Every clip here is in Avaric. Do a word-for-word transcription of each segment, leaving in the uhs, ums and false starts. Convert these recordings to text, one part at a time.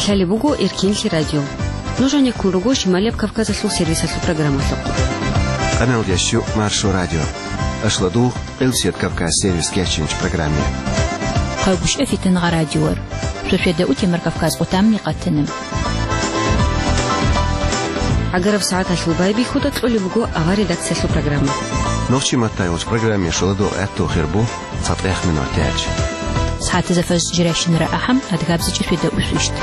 Лъалеб буго Эркинлъи радио. Нуж гьанеккун руго Шималияб Кавказалъул сервисалъул программалъухъ. Къаналдияс чу Маршо радио. Ашладугъ Къилсият Кавказ сервис кечинч программе. Хъагушев Фитангъа радиор. Шошеда утемар Кавказ къутамни къатана. Агараб сагӀаталъул байбихьуда кьолеб буго авар редакциялъул программа. Нохчи маттайгъуч программе шоладо гӀатту хирбу. ЦатӀех минут яч. СагӀатазда фажр жирайщинара ахӀам, адгабзичӀеб шведа усвищт.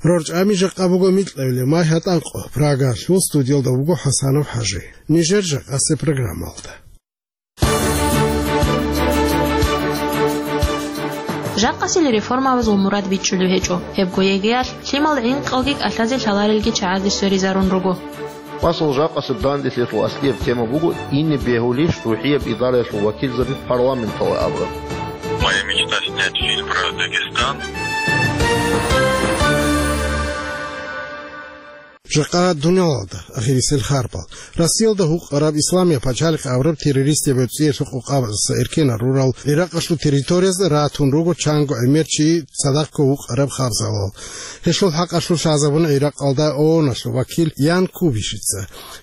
РорчӀами жакъа буго микьабилеб май гьатӀанкъо. Прагалъул студиялда вуго ХӀасанов ХӀажи. Нижер жакъасеб программалда. Жакъасел реформабазул мурад бичӀчӀулев гьечӀо. Гьебго ЕГЭялъ лъимал гӀинкъалги кӀалъазе лъаларелги чагӀазде сверизарун руго. Масала, жакъасеб данделъиялъул аслияб тема буго ине бегьулищ рухӀияб идараялъул вакилзаби парламенталда абураб. Моя мечта снять фильм про Дагестан. Жакъа дуниялалда ахирисел харбал. Россиялда гьукъараб Исламияб пачалихъ абураб террористияб гӀуцӀиялъул къокъабаздаса эркенал рурал Иракъалъул территориязда ратун руго чанго гӀемер чи цадахъго вукъараб хабзалал. Гьелъул хӀакъалъулъ лъазабуна Иракъалда ООНалъул вакил Ян Кубишица.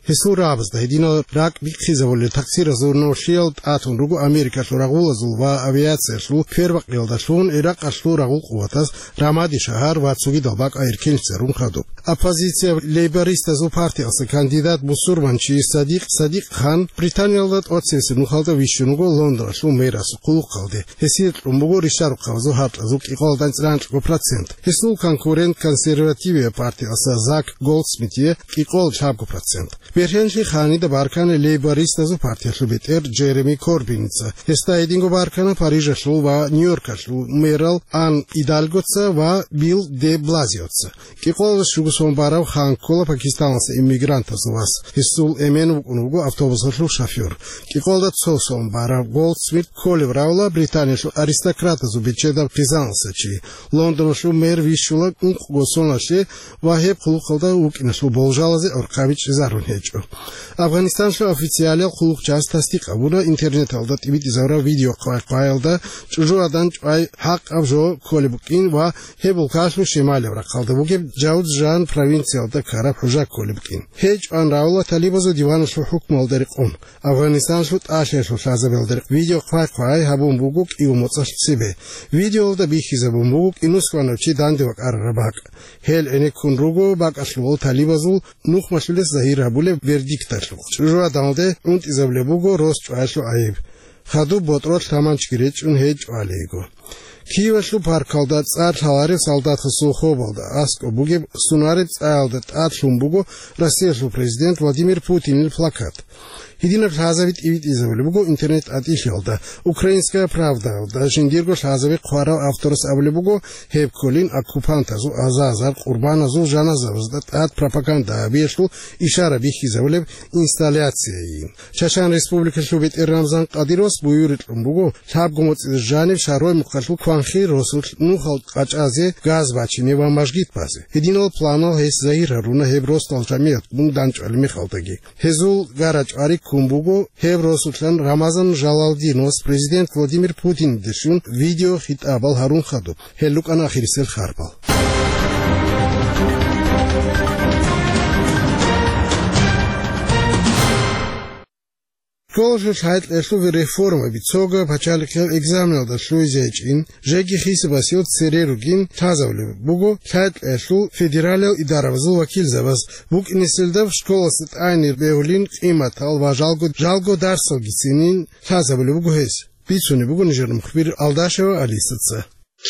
Гьесул рагӀабазда гьединал ракӀ бихъизабулел такъсиразул нолъиял тӀатун руго Америкалъул рагъулазул ва авиациялъул квербакъиялдалъун Иракъалъул рагъул къуватаз Рамади шагьар ва цогидал бакӀ эркенлъица рун хадуб. Оппозицияб лейбористазул партиялъа кандидат бусурманчи Садикъ Садикъ хан Британиялда тӀоцевесеб нухалда вищун вуго Лондоналъул мэрасул хъулухъалде. Гьесие кьун буго ришарухъабазул гьаркьазул кӀикъоялда анцӀила анкьго процент. Гьесул конкурент консервативияб партиялъа Зак Голдсмитие кӀикъоялда лъабго процент. Бергьенлъи ханида баркана лейбористазул партиялъул бетӀер Джереми Корбиница. Гьесда гьединго баркана Парижалъул ва Нью-Йоркалъул мэрал Ан Идальгоца ва Билл де Блазиоца. КӀикъоялда щуго сон барав хан ккола Пакистаналъа иммигрантазул вас. Гьесул эмен вукӀун вуго автобусалъул шофер. КӀикъоялда цо сон барав Голдсмит кколев равла Британиялъул аристократазул бечедаб хъизаналъа чи. Лондоналъул мэр вищула ункъго соналъе ва гьеб хъулухъалда вукӀиналъул болжалазе гӀорхъаби чӀезарун гьечӀо. Афганистаналъул официалиял хъулухъчияс тасдикъ гьабуна интернеталда тӀибитӀизабураб видео хъвай-хъваялда чӀужугӀадан чӀвай хӀакъаб жо кколеб букӀин ва гьеб улкалъул шималияб рахъалда бугеб Джаузжан провинциялда ккараб хӀужа кколеб букӀин. Гьей чӀван равла талибазул диваналъул хӀукмуялда рекъон. Афганистаналъул тӀалъиялъул лъазабиялда рекъ видео хъвай-хъвай гьабун буго кӀиго моцӀалъ цебе. Видеоялда бихьизабун буго кӀинусванав чи данде вакӀарараб бакӀ. Гьел гӀенеккун руго бакӀалъувал талибазул нухмалъулес загьир гьабулеб вердикталъухъ. ЧӀужугӀаданалде унтӀизабулеб буго рос чӀваялъул гӀайиб. Хадуб ботӀролъ таманчги речӀчӀун гьей чӀвалейго. Киевалъул паркалда цӀар лъаларев солдатасул хобалда аскӀоб бугеб сунареб цӀаялда тӀад лъун буго Россиялъул президент Владимир Путинил плакат. Гьединаб лъазаби тӀибитӀизабулеб буго интернет-тӀатӀилъиялда. «Украинская правдаялда» жиндирго лъазаби хъварав авторас абулеб буго, гьеб кколин оккупантазул азазар къурбаназул жаназабазда тӀад пропаганда гьабиялъул ишара бихьизабулеб инсталляцияйин. Чачан Республикалъул бетӀер Рамзан Кадыровас буюрикь кьун буго, лъабго моцӀида жанив Шарой мухъалъул Кванхи росулъ нухал къачӀазе, газ бачине ва мажгит базе. Гьединал планал гьес загьир гьаруна гьеб росдал жамигӀатгун данчӀвалеб мехалдаги. Гьезул гара-чӀвари ккун буго гьеб росулъан Рамазан Жалалдиновас президент Владимир Путиндешлъун видеохитӀабал гьарун хадуб. Гьел рукӀана ахирисел харбал. Школалъул лъай-кьеялъул реформаби, цогаб пачалихъиял экзаменалда лъугьизе гьечӀин, жеги хисабасев цере ругин лъазабулеб буго лъай-кьеялъул федералиял идарабазул вакилзабаз. БукӀинесилда школалъе тӀагӀине бегьулин къиматал ва жалго, жалго дарсалгицинин лъазабулеб буго гьес. Бицунеб буго нижер мухбир Алдашева Алисаца.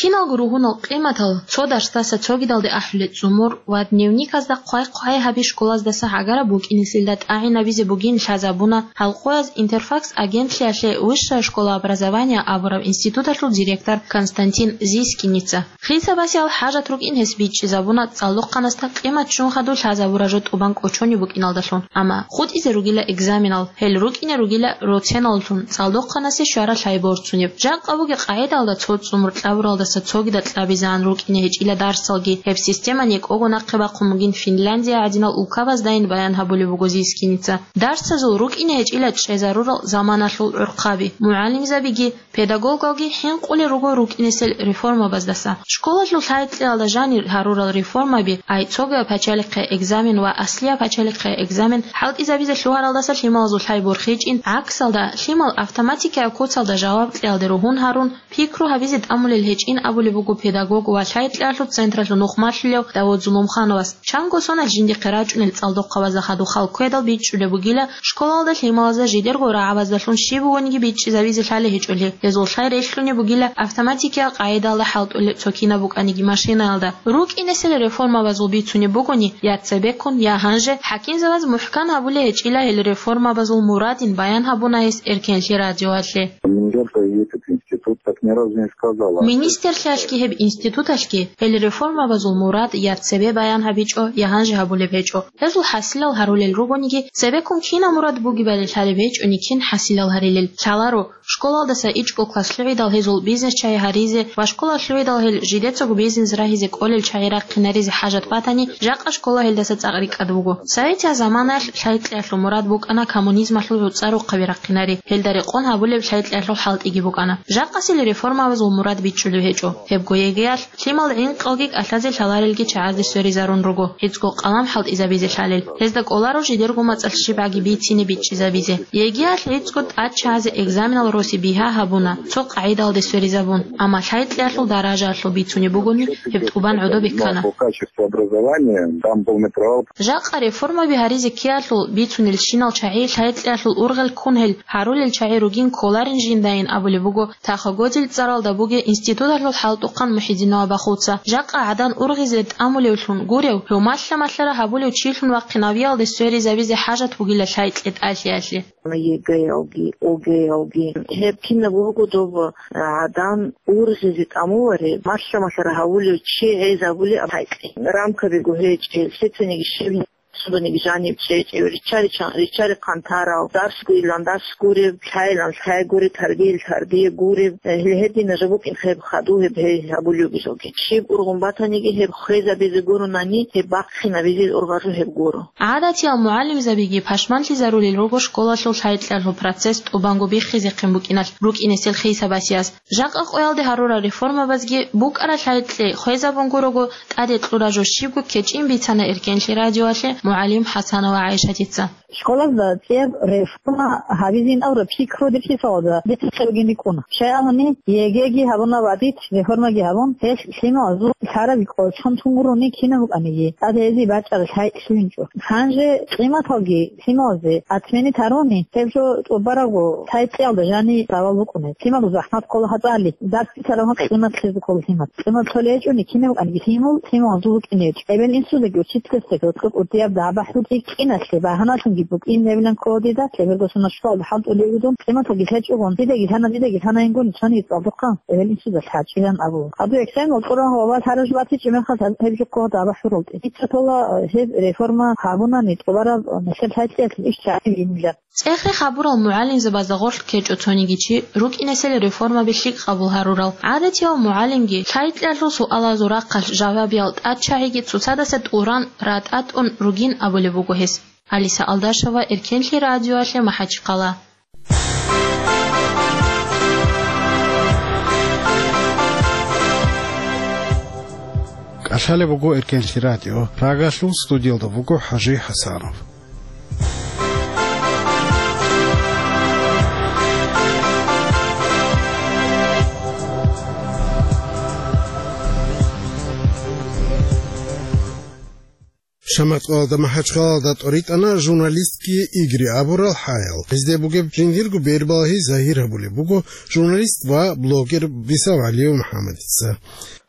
Киналго ругьунал къиматал, цо дарсдаса цогидалде ахӀулел цӀумур ва дневниказда хъвай-хъвай гьаби школаздаса гӀагараб букӀинесилда тӀагӀинабизе бугин лъазабуна гьалкъояз «Интерфакс» агентлъиялъе «Высшая школа образования» абураб институталъул директор Константин Зискиница. Хисабасиял хӀажат рукӀин гьес бичӀчӀизабуна цӀалдохъанасда къимат ччун хадуб лъазабураб жо тӀубан кӀочонеб букӀиналдалъун. Амма хутӀизе ругила экзаменал, гьел рукӀине ругила роценаллъун цӀалдохъанасе щвараб лъай борцунеб. Жакъа бугеб къагӀидаялда цо цӀумур кьабуралда цогидал кьабизаан рукӀине гьечӀила дарсалги. Гьеб система некӀого нахъе бахъун бугин Финляндия гӀадинал улкабаздайин баян гьабулеб буго Зискиница. Дарсазул рукӀине гьечӀила чӀезарурал заманалъул гӀурхъаби. МугӀалимзабиги, педагогалги хӀинкъулел руго рукӀинесел реформабаздаса. Школалъул лъай-кьеялда жанир гьарурал реформаби, ай цогидаб пачалихъе экзамен ва аслияб пачалихъе экзамен хӀалтӀизабизе лъугьаралдаса лъималазул лъай борхичӀин, гӀаксалда, лъимал автоматикаяб куцалда жаваб кьеялде ругьун гьарун, пикру гьабизе тӀамулел гьечӀин абулеб буго педагог ва лъай-кьеялъул централъул нухмалъулев Давуд Зулумхановас. Чанго соналъ жиндихъе рачӀунел цӀалдохъабазда хадуб хал ккведал бичӀчӀулеб бугила, школалда лъималазда жидерго рагӀабаздалъун щиб бугониги бичӀчӀизабизе лъалеб гьечӀолъи. Гьезул лъай релълъунеб бугила автоматикиял къагӀидаялда хӀалтӀулел цо кинаб букӀаниги машинаялда. РукӀинесел реформабазул бицунеб бугони, я цебеккун, я гьанже, хӀакимзабаз мухӀкан гьабулеб гьечӀила гьел реформабазул мурадин баян гьабуна гьес Эркенлъи радиоялъе. Министерство и этот институт так ни разу не сказала. Министрлъиялъги гьеб институталъги гьел реформабазул мурад я цебе баян гьабичӀо, я гьанже гьабулеб гьечӀо. Гьезул хӀасилал гьарулел ругониги, цебеккун кинаб мурад бугебали лъалеб гьечӀони кин хӀасилал гьарилел лъаларо. Школалдаса ичӀго класс лъугӀидал гьезул бизнес чагӀи гьаризе ва школа лъугӀидал гьел жидецаго бизнес рагьизе кӀолел чагӀи рахъинаризе хӀажат батани, жакъа школа гьелдаса цӀакъ рикӀкӀад буго. Советияб заманаялъ лъай-кьеялъул мурад букӀана коммунизмалъул гӀуцӀа рухъаби рахъинари, гьелда рекъон гьабулеб лъай-кьеялъул хӀалтӀиги букӀана. Жакъасел реформабазул мурад бичӀчӀулеб гьечӀо. Гьебго ЕГЭялъ лъимал гӀинкъалги кӀалъазе лъаларелги чагӀазде сверизарун руго, гӀицӀго къалам хӀалтӀизабизе лъалел. Гьезда кӀоларо жидерго мацӀалъ щибгӀаги бицине бичӀчӀизабизе. ЕГЭялъ гӀицӀго тӀад чагӀазе экзаменал роси бигьа гьабуна, цо къагӀидаялде сверизабун, амма лъай-кьеялъул даражаялъул бицунеб бугони, гьеб тӀубан гӀодобе ккана. По качеству образования там полный провал. Жакъа реформаби гьаризе ккеялъул бицунелщинал чагӀи лъай-кьеялъул ургъел ккун гьел гьарулел чагӀи ругин кколарин жиндайин абулеб буго Тахо-Годил цӀаралда бугеб институталъул хӀалтӀухъан МухӀидинова Бахуца. Жакъа гӀадан ургъизе тӀамулевлъун гурев, гьев малъа-малъара гьабулев чилъун вахъинавиялде сверизабизе хӀажат бугила лъай-кье тӀалъиялъе. ЕГЭялги, ОГЭялги. Гьеб кинаб буго доб гӀадан ургъизе тӀамулареб, малъа-малъара гьавулев чи гӀезабулеб лъай-кье. Рамкабиго гьечӀел, лъицаниги щиб Суданиги жаниб чӀечӀев, риччари-, риччари-хъантарал, дарс гурилан дарс гуреб, лъайилан лъай гуреб, тарбиял тарбия гуреб, э, гьел гьедина жо букӀин гьеб хадув гьеб гьей гьабулев бижоги. Щиб ургъун батаниги гьеб хвезабизе гуронани, гьеб бахъинабизе ургъазул гьеб гуро. ГӀадатиял мугӀалимзабиги пашманлъизарулел руго школалъул лъай-кьеялъул процесс тӀубанго биххизехъин букӀиналъ рукӀинесел хисабасиялъ. Жакъа къоялде гьарурал реформабазги букӀаралъай кье хвезабун гурого, тӀаде кьураб жо щибго кечӀин бицана Эркенлъи радиоялъе мугӀалим ХӀасанова ГӀайшатица. Школазда цӀияб реформа гьабизин абураб пикру дир хисалда бицахъе бугин рикӀкӀуна. Щайабани, ЕГЭги гьабуна ва дид реформаги гьабун, гьелъ лъималазул лъараб кӀочон тун гурони кинаб букӀаниги, тӀад гьезие бачӀаралъай лъугьинчӀо. Гьанже къиматалги лъималазе отменить гьаруни, гьеб жо тӀубарабго лъай-кьеялда жани равал букӀунеб. Лъималазул захӀмат ккола гьабали, дарс бицараб къимат лъезе ккола лъимал. Къимат лъолей гьечӀони кинаб букӀаниги лъимал, лъималазул букӀине гьечӀо. Эбел-инсузеги учительзеги гьоркьоб кӀудияб дагӀба хӀутӀи кӀиналъе багьаналъунги букӀин гьебилан ккола дида, лъеберго соналъ школалда хӀалтӀулей вугун, къиматалги лъечӀогон, дидаги лъана, дидаги лъана ингун, цониги цӀалдухъан, эбел-инсузда лъачӀилан абун. Гьадур экзамен кьураб ва лъараб жо батичӀеб мехалъ гьеб жо ккола дагӀба хӀуралде. Дица ккола гьеб реформа гьабунани тӀубараб нилъер лъай-кьеялъул иш чагӀи гьабилилан. ЦӀехе хабурал мугӀалимзабазда гъорлъ ккечӀо цониги чи, рукӀинесел реформаби лъикӀ къабул гьарурал. ГӀадатияв мугӀалимги, лъай-кьеялъул суалазул рахъалъ жавабиял тӀадчагӀиги цоцадаса тӀуран ратӀатӀун ругин абулеб буго гьес. Алиса Алдашева, Эркенлъи радиоялъе, МахӀачхъала. КӀалъалеб буго Эркенлъи радио. Прагалъул студиялда вуго ХӀажи ХӀасанов. Шамахъалда МахӀачхъалада тӀоритӀана журналистские игры абурал хӀаял. Гьезде бугеб жиндирго бербалагьи загьир гьабулеб буго журналист ва блогер Бисав ГӀалиев МухӀаммадица.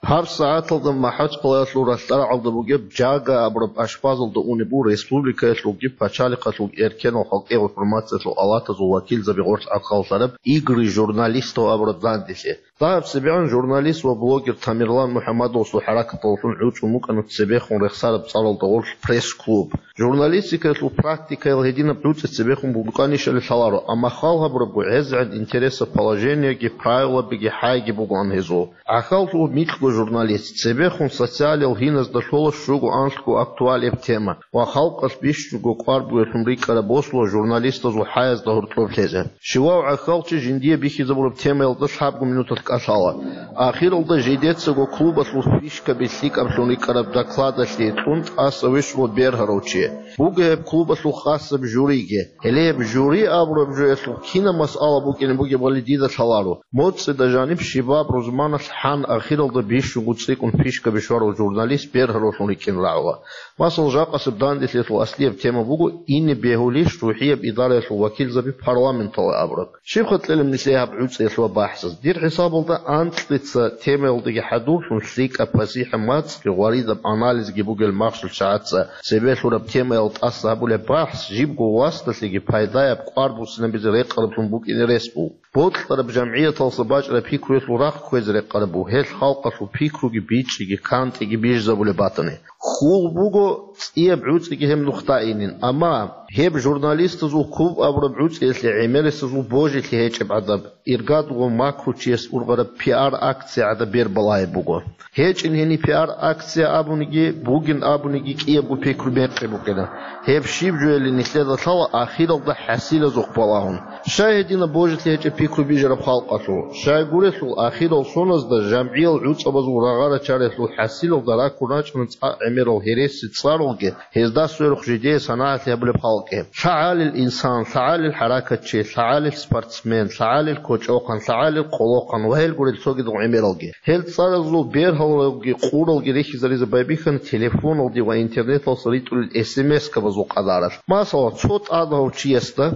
Гьаб сагӀаталда МахӀачкъалаялъул ралъдал рагӀалда бугеб Жага абураб ашпазалда унеб буго республикаялъулги пачалихъалъулги эркенал халкъияб информациялъул алатазул вакилзаби гъорлъ гӀахьаллъараб «Игры журналистов» абураб данделъи. Дагьаб цебегӀан журналист ва блогер Тамерлан МухӀаммадовасул хӀаракаталдалъун гӀучӀун букӀана цебехун рехсараб цӀаралда гъорлъ пресс-клуб. Журналистикаялъул практикаял гьединаб гӀуцӀи цебехун букӀанищали лъаларо, амма хал гьабурабго, гӀезегӀан интересаб положениеги правилабиги хӀайги бугоан гьезул. ГӀахьаллъув микьго журналист, цебехун социалиял гьиназда лъола щуго-анлъго актуалияб тема ва халкъалъ бищунго кӀвар бугеблъун рикӀкӀараб босула журналистазул хӀаязда гьоркьоб лъезе. Щивав гӀахьалчи жиндие бихьизабураб темаялда лъабго минуталъ кӀалъала. Ахиралда жидецаго клубалъул фишкаби лъикӀаблъун рикӀкӀараб докладалъе кьун тӀаса вищула бергьарав чи. Буго гьеб клубалъул хасаб жюриги. Гьеле гьеб жюри абураб жоялъул кинаб масъала букӀине бугебали дида лъаларо. МоцӀида жаниб щибаб рузманалъ хӀан ахиралда бищунго цӀикӀкӀун фишкаби щварав журналист бергьаравлъун рикӀкӀин рагӀула. Масала, жакъасеб данделъиялъул аслияб тема буго ине бегьулищ рухӀияб идараялъул вакилзаби парламенталде абураб. Щибха кьелеб нилъее гьаб гӀуцӀиялъул бахӀсаз? Дир хӀисабалда анкьица темаялдаги хӀадурлъун лъикӀаб пасихӀа мацӀги гъваридаб анализги бугел махщел чагӀаца цебе лъураб темаял тӀаса гьабулеб бахӀс жибго васдалъеги пайдаяб кӀвар буссинабизе рекъараб букӀине рес буго. Бокьараб жамгӀияталъа бачӀараб пикруялъул рахъ кквезе рекъараб буго, гьелъ халкъалъул пикруги бичӀчӀиги кантӀиги бижизабулеб батани. Хьул буго цӀияб гӀуцӀиги гьеб нухда инин, амма гьеб журналистазул клуб абураб гӀуцӀиялъе гӀемерисезул божилъи гьечӀеб гӀадаб, иргадго макручияс ургъараб пиар-акция гӀадаб бер балагьеб буго. ГьечӀин гьени пиар-акция абуниги, бугин абуниги кӀиябго пикру мекъи букӀина. Гьеб щиб жояли нилъеда лъала ахиралда хӀасилазухъ балагьун. Щай гьединаб божилъи гьечӀеб пикру бижараб халкъалъул? Щайгурелъул ахирал соназда жамгӀиял гӀуцӀабазул рагъа-рачариялъул хӀасилалда раккун рачӀана цӀакъ гӀемерал гьереси цӀаралги, гьезда сверухъ жидее санагӀалъи гьабулеб халкъги. ЛъагӀалил инсан, лъагӀалил хӀаракатчи, лъагӀалил спортсмен, лъагӀалил кочӀохъан, лъагӀалил къолохъан ва гьел гурел цогидал гӀемералги. Гьел цӀаразул бергьалги къуралги рихьизаризе байбихьана телефоналде ва интернеталъа ритӀулел эс эм эс-кабазул къадаралъ. Масала, цо тӀадав чиясда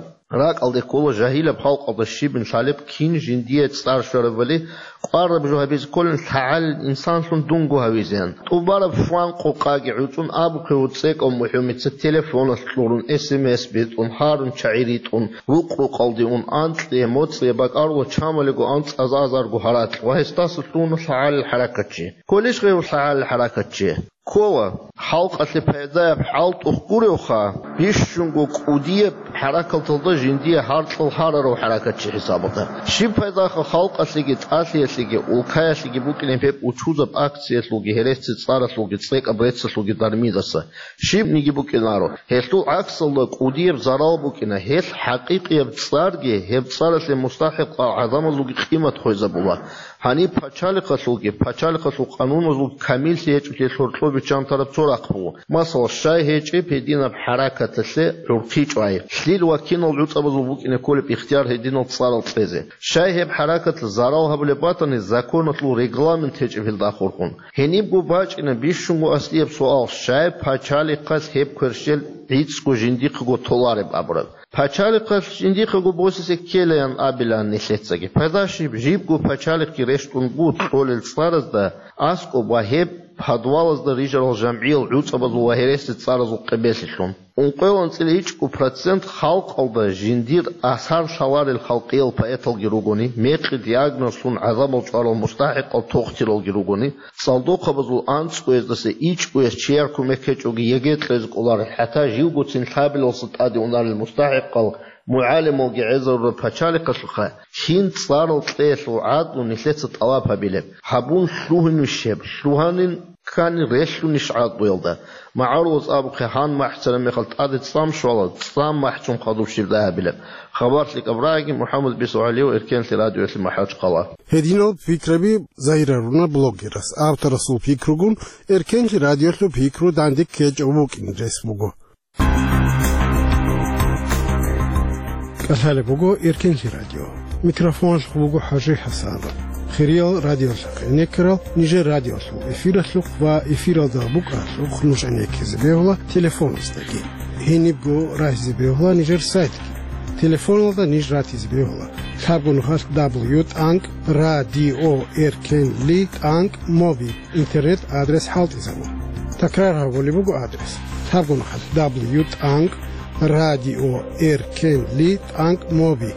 ракӀалде ккола жагьилаб халкъалда щибин лъалеб кин жиндие цӀар щварабали, кӀвараб жо гьабизе кколин лъагӀалил инсанлъун дунго гьавизеян. ТӀубараб фан къокъаги гӀуцӀун абухъе гьуцӀекӀав мухӀумица телефоналъ кьурун, эс эм эс битӀун, гьарун чагӀи ритӀун, вукъ-рукъалде ун, анкьие, моцӀие бакӀаруло чамалиго анцӀазазарго гьаракь ва гьесдаса лъугьуна лъагӀалил хӀаракатчи. Кколищ гъев лъагӀалил хӀаракатчи? Ккола. Халкъалъе пайдаяб хӀалтӀухъ гуревха, бищунго кӀудияб хӀаракаталда жиндие гьаркьал гьарарав хӀаракатчи хӀисабалда. Щиб пайдаха халкъалъеги, тӀалъиялъеги, улкаялъеги букӀинеб гьеб учузаб акциялъулги, гьересица цӀаралъулги, цӀекӀаб реццалъулги дармидаса? Щибниги букӀинаро. Гьелъул гӀаксалда кӀудияб зарал букӀина, гьелъ хӀакъикъияб цӀарги, гьеб цӀаралъе мустахӀикъал гӀадамазулги къимат хвезабула. Гьаниб пачалихъалъулги, пачалихъалъул къануназул камиллъи гьечӀолъи гьоркьоб биччан тараб цо рахъ буго. Масала, щай гьечӀеб гьединаб хӀаракаталъе гӀурхъи чӀвай, лъил ва кинал гӀуцӀабазул букӀине кколеб ихтияр гьединал цӀарал кьезе? Щай гьеб хӀаракаталъ зарал гьабулеб батани, законалъул регламент гьечӀеб гьелда ахурхун? Гьенибго бачӀина бищунго аслияб суал: щай пачалихъалъ гьеб кверщел гӀицӀго жиндихъего толареб абураб? Пачалихъалъ жиндихъего босизе ккелаян абилаан нилъецаги. Пайда щиб, жибго пачалихъги рещтӀун буго кьолел цӀаразда аскӀоб ва гьеб подвалазда рижарал жамгӀиял гӀуцӀабазул ва гьереси цӀаразул къебелъилъун. Ункъоялда анцӀила ичӀго процент халкъалда жиндир асар лъаларел халкъиял поэталги ругони, мекъи диагнозлъун гӀадамал чӀварал мустахӀикъал тохтиралги ругони, цӀалдохъабазул анцӀгояздаса ичӀгояс чияр кумек гьечӀоги ЕГЭ кьезе кӀоларел, хӀатта живгоцин лъабилалса тӀаде унарел мустахӀикъал мугӀалималги гӀезарураб пачалихъалъухъа, кин цӀарал кьеялъул гӀадлу нилъеца тӀалаб гьабилеб? Гьабун лъугьунищ гьеб? Лъугьанин ккани релълъунищ гӀакълуялда? МагӀарулаз абухъе, гьан махӀцараб мехалъ тӀаде цӀам щвала, цӀам махӀчун хадуб щибдай гьабилеб? Хабар лъикӀаб рагӀиги, МухӀаммад Бисугьалиев, Эркенлъи радиоялъе, МахӀачхъала. Гьединал пикраби загьирарун блогерас. Авторасул пикругун Эркенлъи радиолъул пикру данде ккечӀев вукӀин рес буго. КӀалъалеб буго Эркенлъи радио. Микрофоналъухъ буго ХӀажи ХӀасан. Хириял радиолъухъ гӀенеккарал нижер радиолъул эфиралъухъ ва эфиралда букӀаралъухъ нуж гӀенеккизе бегьула телефоназдаги. Гьенибго рагьизе бегьула нижер сайтги. Телефоналда ниж ратизе бегьула Лъабго нухалъ дабл ю тӀанкӀ радио эркен ли тӀанкӀ моби интернет адрес хӀалтӀизабун. Такрар гьабулеб буго адрес: лъабго нухалъ дабл ю тӀанкӀ радио эркен ли тӀанкӀ моби.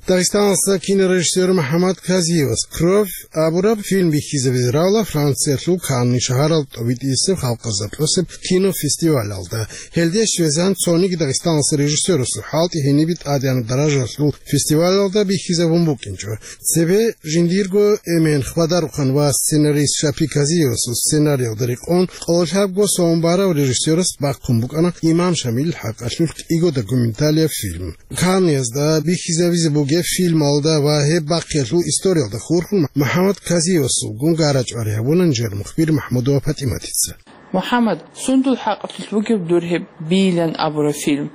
Дагъистаналъа кинорежиссер МухӀаммад Казиевас «Кровь» абураб фильм бихьизабизе равла Франциялъул Канни шагьаралда тӀобитӀисеб халкъазда тӀосеб кинофестивалалда. Гьелде щвезан цониги Дагъистаналъа режиссерасул хӀалтӀи гьенибе тӀадегӀанаб даражалъул фестивалалда бихьизабун букӀинчӀо. Цебе жиндирго эмен хбадарухъан ва сценарист Шапи Казиевасул сценариялда рекъон къоло лъабго сон барав режиссерас бахъун букӀана Имам Шамилил хӀакъалъулъ кӀиго документалияб фильм. Канниязда бихьизабизе бугеб фильмалда ва гьеб бахъиялъул историялда хурхун МухӀаммад Казиевасулгун гара-чӀвари гьабуна нижер мухбир МахӀмудова ПатӀиматица. МухӀаммад, сундул хӀакъалъулъ бугеб дур гьеб «Бийилан» абураб фильм?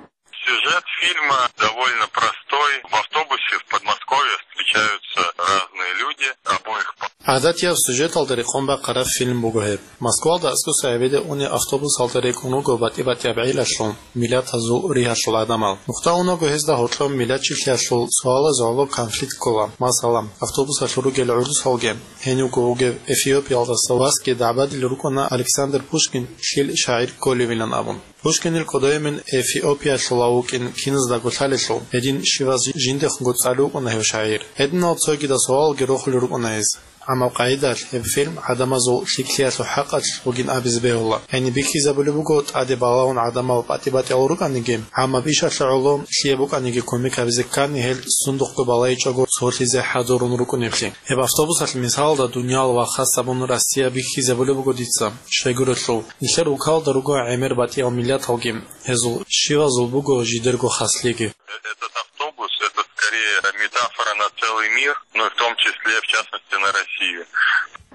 Сюжет фильма довольно простой. В автобусе в Подмосковье встречаются разные люди обоих по- ГӀадатияб сюжеталда рекъон бахъараб фильм буго гьеб. Москвалда аскӀоса гӀебеде унеб автобусалда рекӀун руго батӀи-батӀияб гӀелалъул, миллатазул ригьалъул гӀадамал. Нухда унаго гьезда гьоркьоб миллат чилъиялъул суалаз гӀоло конфликт ккола. Масала, автобусалъур ругел гӀурусалги, гьенивго вугев Эфиопиялдаса васги дагӀбадил рукӀана Александр Пушкин лъил шагӀир кколевилан абун. Пушкинил кодоемен Эфиопиялъула вукӀин киназдаго лъалелъул, гьедин щиваз жиндехунго цӀалев вукӀана гьев шагӀир. Гьединал цогидал суалалги рохулел рукӀана гьез. Амма къагӀидалъ гьеб фильм гӀадамазул лъикӀлъиялъул хӀакъалъулъ бугин абизе бегьула. Гьениб бихьизабулеб буго, тӀаде балагьун гӀадамал батӀи-батӀиял рукӀаниги, гӀаммаб ишалъе гӀоло лъие букӀаниги кумек гьабизе ккани, гьел сундухъго балайичӀого цолъизе хӀадурун рукӀунеблъи. Гьеб автобусалъ мисалалда дуниял ва хасабун Россия бихьизабулеб буго дица, щайгурелъул, нилъер улкалда руго гӀемер батӀиял миллаталги, гьезул щивазул буго жидерго хаслъиги. Этот автобус — это скорее метафора на целый мир, ну и в том числе, в частности, на Россию.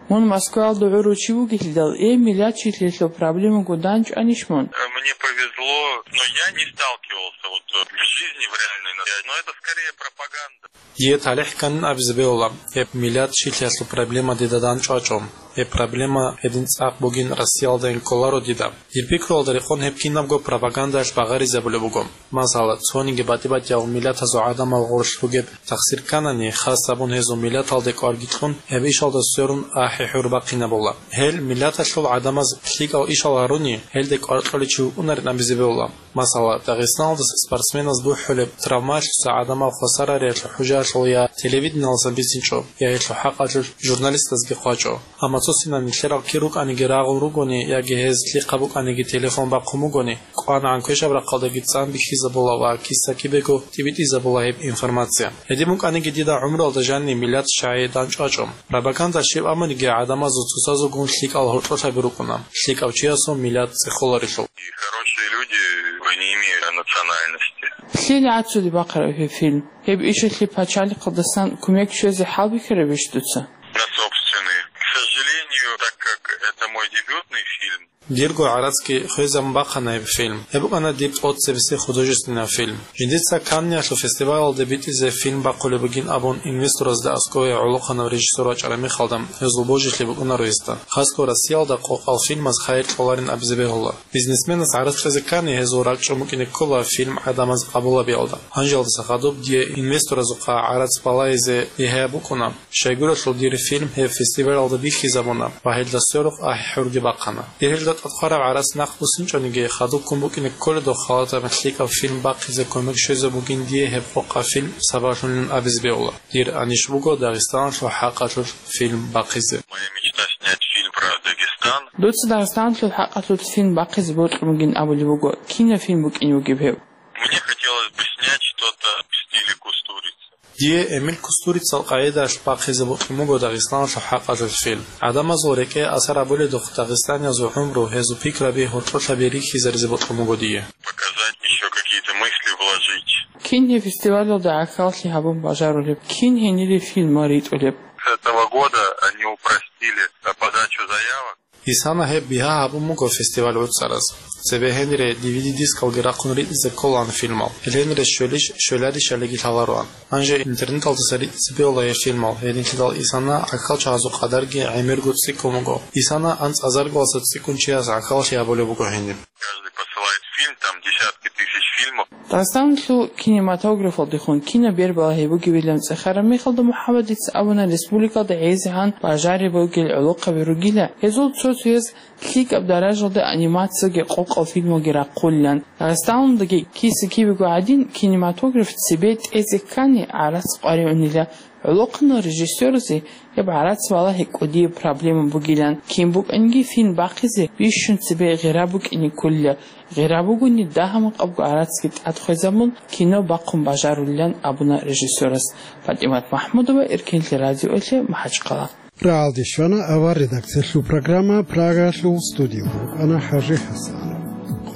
Мун Москваялда гӀурав чи вугелъидал, гьеб миллат чилъиялъул проблемаго данчӀванищ мун? Э, мне повезло, но я не сталкивался вот, э, в жизни, в реальной, но это скорее пропаганда. Дие талихӀ кканин абизе бегьула, гьеб миллат чилъиялъул проблема дида данчӀвачӀо. Гьеб проблема гьедин цӀакъ бугин Россиялдайин кколаро дида. Дир пикруялда рекъон гьеб кинабго пропагандалъ багъаризабулеб буго. Масала, цониги батӀи-батӀиял миллатазул гӀадамал гъорлъ бугеб тахсир кканани, хас абун гьезул миллаталде кӀварги кьун, гьеб ишалда сверун ахӀи-хӀур бахъинабула. Гьел миллаталъул гӀадамаз лъикӀал ишал гьаруни, гьелде кӀвар кьолев чи вукӀунарин абизе бегьула. Масала, Дагъистаналдаса спортсменаз бухӀулеб травмаялъуса гӀадамал хвасар гьариялъул хӀужаялъул я телевидениялдасан бицинчӀо, я гьелъул хӀакъалъулъ журналистазги хъвачӀо. Амма цо-цинан нилъерал кир рукӀаниги рагъун ругони яги гьез лъихъа букӀаниги телефон бахъун бугони, кӀванагӀан квешаб рахъалдаги цӀан бихьизабула ва киса-кибего тӀибитӀизабула гьеб информация. Гьедин букӀаниги дида гӀумруялда жанни миллат чагӀи данчӀвачӀо. Пропаганда щиб абуниги гӀадамазул цоцазулгун лъикӀал гьоркьолъаби рукӀуна. ЛъикӀав чиясул миллат цӀехоларелъул. И хорошие люди, вы не имеете национальности. Лъил гӀацӀцӀуде бахъараб гьеб фильм? Гьеб ишалъе пачалихъалдасан кумек щвезе хӀалбихьарабищ дуца? На собственный. К сожалению, так как это мой дебютный фильм. Дирго гӀарацги хвезабун бахъана гьеб фильм. Гьеб букӀана дир тӀоцебесеб художественный фильм. Жиндица Канниялъул фестивалалде битӀизе фильм бахъулеб бугин абун инвесторазда аскӀове гӀолохъанав режиссер вачӀараб мехалда, гьезул божилъи букӀунаро гьесда. Хасго Россиялда къокъал фильмаз хайир кьоларин абизе бегьула. Бизнесменас гӀарац кьезе ккани, гьезул ракӀчӀун букӀине ккола фильм гӀадамаз къабулабиялда. Гьанжалдаса хадуб дие инвесторазухъа гӀарац балагьизе бигьаяб букӀуна. Щайгурелъул дир фильм гьеб фестивалалда бихьизабуна ва гьелда сверухъ ахӀи-хӀурги бахъана. Дир гьелда тӀад хъвараб гӀарац нахъ буссинчӀониги, хадубккун букӀине кколедухъ халатаб лъикӀаб фильм бахъизе кумек щвезе бугин дие гьеб къокъаб фильм сабаблъунилан абизе бегьула. Дир анищ буго Дагъистаналъул хӀакъалъулъ фильм бахъизе. Моя мечта — снять фильм про Дагестан. Дуца Дагъистаналъул хӀакъалъулъ фильм бахъизе бокьун бугин абулеб буго. Кинаб фильм букӀине бугеб гьеб? Мне хотелось бы снять что-то в стиле Кустурицы. Дие Эмиль Кустурицал къагӀидаялъ бахъизе бокьун буго Дагъистаналъул хӀакъалъулъ фильм. ГӀадамазул рекӀее асар гьабуледухъ дагъистаниязул гӀумру, гьезул пикраби гьоркьолъаби рихьизаризе бокьун буго дие. Показать, ещё какие-то мысли вложить. Кин гьеб фестивалалда гӀахьаллъи гьабун бажарулеб? Кин гьенибе фильмал ритӀулеб? С этого года они упростили подачу заявок. Исана гьеб бигьа гьабун буго фестиваль гӀуцӀараз. Цебе гьенире ди ви ди-дискалги рахъун ритӀизе кколаан фильмал. Гьел гьенире щвелищ-щвеларищалиги лъалароан. Гьанже интернеталдаса ритӀизе бегьула гьеб фильмал, гьединлъидал Исана гӀахьалчагӀазул къадарги гӀемерго цӀикӀкӀун буго. Исана анцӀазаргаласа цӀикӀкӀун чияс гӀахьаллъи гьабулеб буго гьениб. Каждый посылает фильм, там десятки тысяч фильмов. Дагъистаналъул кинематографалдехун кино бербалагьи бугебилан цӀехараб мехалда МухӀаммадица абуна, республикалда гӀезегӀан бажариб бугел гӀолохъаби ругила. Гьезул цо-цояз лъикӀаб даражалда анимацияги къокъал фильмалги рахъулилан. Дагъистаналдаги киса-кибего гӀадин, кинематограф цебе тӀезе ккани гӀарац къваригӀунила. ГӀолохъанал режиссёразе гьеб гӀарац балагьи кӀудияб проблема бугилан. Кин букӀаниги фильм бахъизе бищун цебе гъира букӀине кколила. Гъира бугони, дагьа-макъабго гӀарацги тӀад хвезабун, кино бахъун бажарулилан абуна режиссёрас. ПатӀимат МахӀмудова, Эркенлъи радиоялъе, МахӀачхъала. Рагьалде щвана авар редакциялъул программа Прагаялъул студиялда вукӀана ХӀажи ХӀасан.